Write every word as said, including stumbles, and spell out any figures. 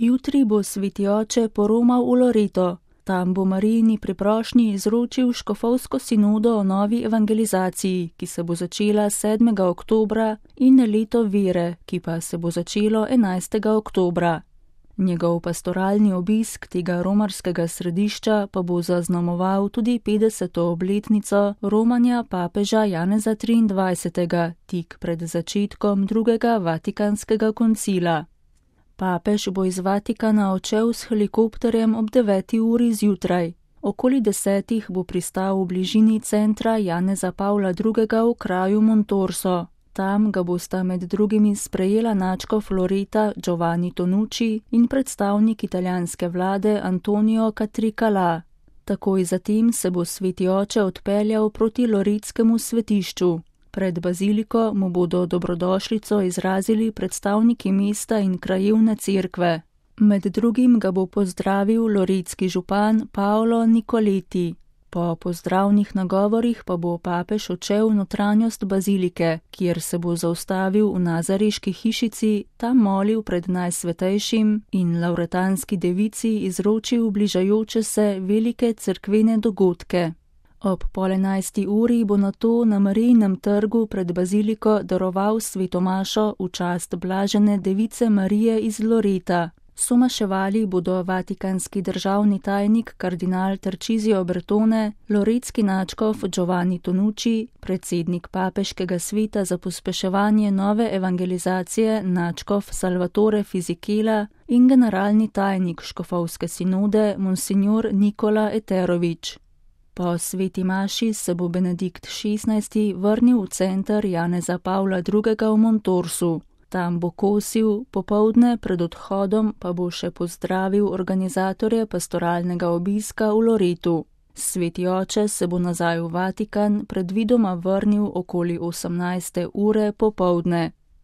Jutri bo sveti oče poromal v Loreto. Tam bo Marijini pri prošnji izročil škofovsko sinodo o novi evangelizaciji, ki se bo začela sedmega oktobra, in leto vere, ki pa se bo začelo enajstega oktobra. Njegov pastoralni obisk tega romarskega središča pa bo zaznamoval tudi petdeseto obletnico romanja papeža Janeza triindvajsetega, tik pred začetkom drugega vatikanskega koncila. Papež bo iz Vatikana odšel s helikopterjem ob deveti uri zjutraj. Okoli desetih bo pristal v bližini centra Janeza Pavla drugega v kraju Montorso. Tam ga bosta med drugimi sprejela nadškof Loreta Giovanni Tonucci in predstavnik italijanske vlade Antonio Catricala. Takoj zatem se bo sveti oče odpeljal proti loretskemu svetišču. Pred baziliko mu bodo dobrodošlico izrazili predstavniki mesta in krajevne cerkve. Med drugim ga bo pozdravil loretski župan Paolo Nicoleti. Po pozdravnih nagovorih pa bo papež odšel v notranjost bazilike, kjer se bo zaustavil v Nazareški hišici, tam molil pred Najsvetejšim in lavretanski devici izročil bližajoče se velike cerkvene dogodke. Ob pol enajsti uri bo nato na Marijinem trgu pred baziliko daroval sveto mašo v čast blažene device Marije iz Loreta. Somaševali bodo vatikanski državni tajnik kardinal Tarcisio Bertone, loretski nadškof Giovanni Tonucci, predsednik papeškega sveta za pospeševanje nove evangelizacije nadškof Salvatore Fisichella in generalni tajnik škofovske sinode monsignor Nikola Eterović. Po sveti maši se bo Benedikt šestnajsti vrnil v center Janeza Pavla drugega v Montorsu. Tam bo kosil, popoldne pred odhodom pa bo še pozdravil organizatorje pastoralnega obiska v Loretu. Sveti oče se bo nazaj v Vatikan predvidoma vrnil okoli osemnajste ure popoldne.